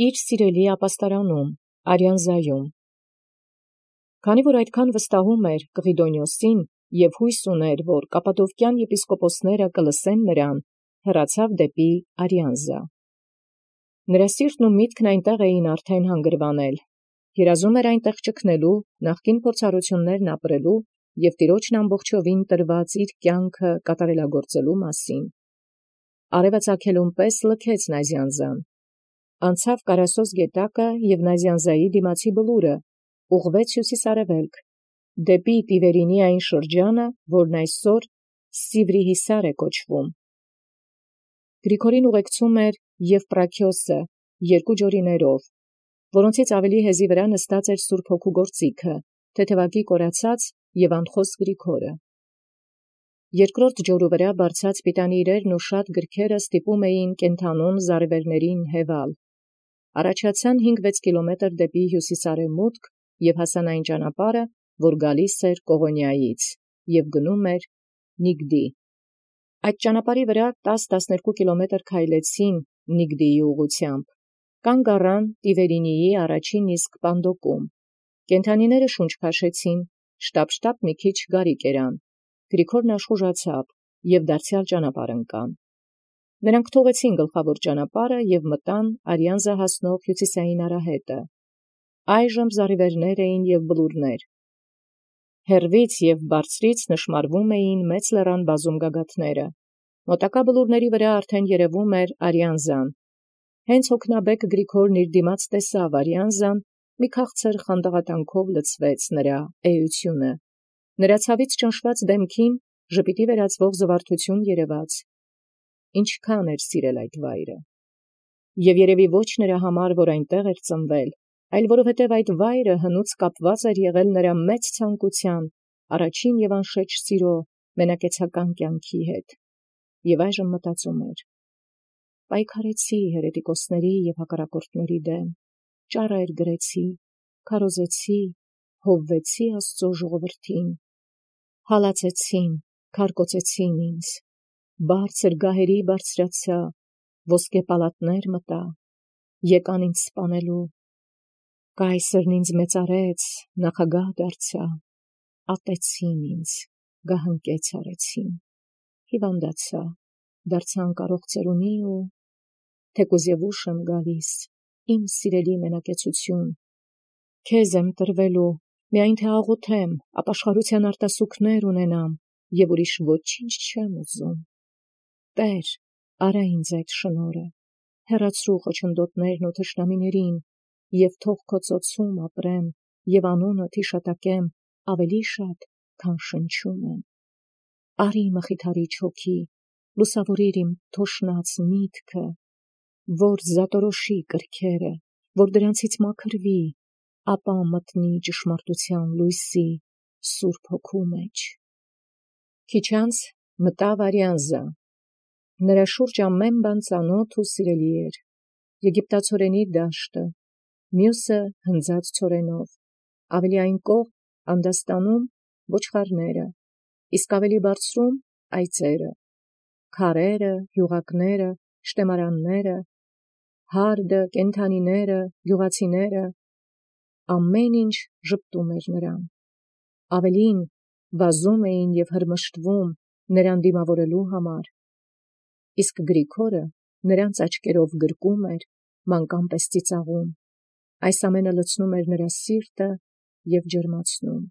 իր սիրելի ապաստարանում, Արիանզայում։ Քանի որ այդքան վստահում էր Կղիդոնիոսին և հույս ուներ, որ կապադովկյան եպիսկոպոսները կլսեն նրան, հեռացավ դեպի Արիանզա։ Նրա սիրտն ու միտքն այնտեղ էին արդեն հանգրվանել, երազում էր այնտեղ ճգնելու, նախկին փորձառություններն ապրելու և Տիրոջն ամբողջովին տրված իր կյանքը կատարելագործելու մասին։ Արևը ծագելուն պես լքեց Նազյանզան, անցավ Կարասոս գետակը և Նազյանզայի դիմացի բլուրը, ուղղվեց հյուսիս-արևելք, դեպի Տիվերինի այն շրջանը, որն այսօր Սիվրիհիսար է կոչվում։ Գրիգորին ուղեկցում էր Եվպրաքիոսը երկու ջորիներով, որոնցից ավելի հեզի վրա նստած էր Սուրբ Հոգու գործիքը, թեթևակի կորացած և անխոս Գրիգորը։ Երկրորդ ջորու վրա բարձած պիտանի իրերն ու շատ գրքերը ստիպում էին կենդանուն զառիվերներին հևալ։ Առաջացան 5-6 կիլոմետր դեպի հյուսիս-արևմուտք և հասան այն ճանապարհը, որ գալիս էր Կողոնիայից և գնում էր Նիգդի։ Այդ ճանապարհի վրա 10-12 կիլոմետր քայլեցին Նիգդիի ուղղությամբ, կանգ առան Տիվերինիի առաջին իսկ պանդոկում։ Կենդանիները շունչ քաշեցին, շտապ մի քիչ գարի կերան։ Գրիգորն աշխուժացավ և դարձյալ ճանապարհ ընկան։ Նրանք թողեցին գլխավոր ճանապարհը և մտան Արիանզա հասնող հյուսիսային արահետը։ Այժմ զառիվերներ էին և բլուրներ։ Հեռվից և բարձրից նշմարվում էին մեծ լեռան բազում գագաթները։ Մոտակա բլուրների վրա արդեն երևում էր Արիանզան։ Հենց հոգնաբեկ Գրիգորն իր դիմաց տեսավ Արիանզան, մի քաղցր խանդաղատանքով լցվեց նրա էությունը։ Նրա ցավից ճնշված դեմքին ժպիտի վերածվող զվարթություն երևաց։ Ինչքան էր սիրել այդ վայրը։ Եվ երևի ոչ նրա համար, որ այնտեղ էր ծնվել, այլ որովհետև այդ վայրը հնուց կապված էր եղել նրա մեծ ցանկության, առաջին և անշեջ սիրո, մենակեցական կյանքի հետ։ Եվ այժմ մտածում էր. պայքարեցի հերետիկոսների և հակառակորդների դեմ, ճառեր գրեցի, քարոզեցի, հովվեցի Աստծո ժողովրդին, հալածեցին, քարկոծեցին ինձ, բարձր գահերի բարձրացա, ոսկե պալատներ մտա, եկան ինձ սպանելու, կայսրն ինձ մեծարեց, նախագահ դարձա, ատեցին ինձ, գահընկեց արեցին, հիվանդացա, դարձա անկարող ծերունի ու թեկուզ և ուշ եմ գալիս, իմ սիրելի մենակեցություն, քեզ եմ տրվելու, միայն թե աղոթեմ, ապաշխարության արտասուքներ ունենամ և ուրիշ ոչինչ չեմ ուզում։ Տեր, արա ինձ այդ շնորհը, հեռացրու խոչընդոտներն ու թշնամիներին, և թող քո ծոցում ապրեմ և անունդ հիշատակեմ ավելի շատ, քան շնչում եմ։ Արի մխիթարիչ հոգի, լուսավորիր իմ թոշնած միտքը, որ զատորոշի կրքերը, որ դրանցից մաքրվի, ապա մտնի ճշմարտության լույսի Սուրբ Հոգու մեջ։ Քիչ անց մտավ Արիանզա։ Նրա շուրջ ամեն բան ծանոթ ու սիրելի էր. եգիպտացորենի դաշտը, մյուսը հնձած ցորենով, ավելի այն կողմ անդաստանում ոչխարները, իսկ ավելի բարձրում այծերը, քարերը, յուղակները, շտեմարանները, հարդը, կենդանիները, գյուղացիները, ամեն ինչ ժպտում էր նրան։ Ավելին, վազում էին և հրմշտվում նրան դիմավորելու համար, իսկ Գրիգորը նրանց աչքերով գրկում էր, մանկան պես ծիծաղում։ Այս ամենը լցնում էր նրա սիրտը և ջերմացնում։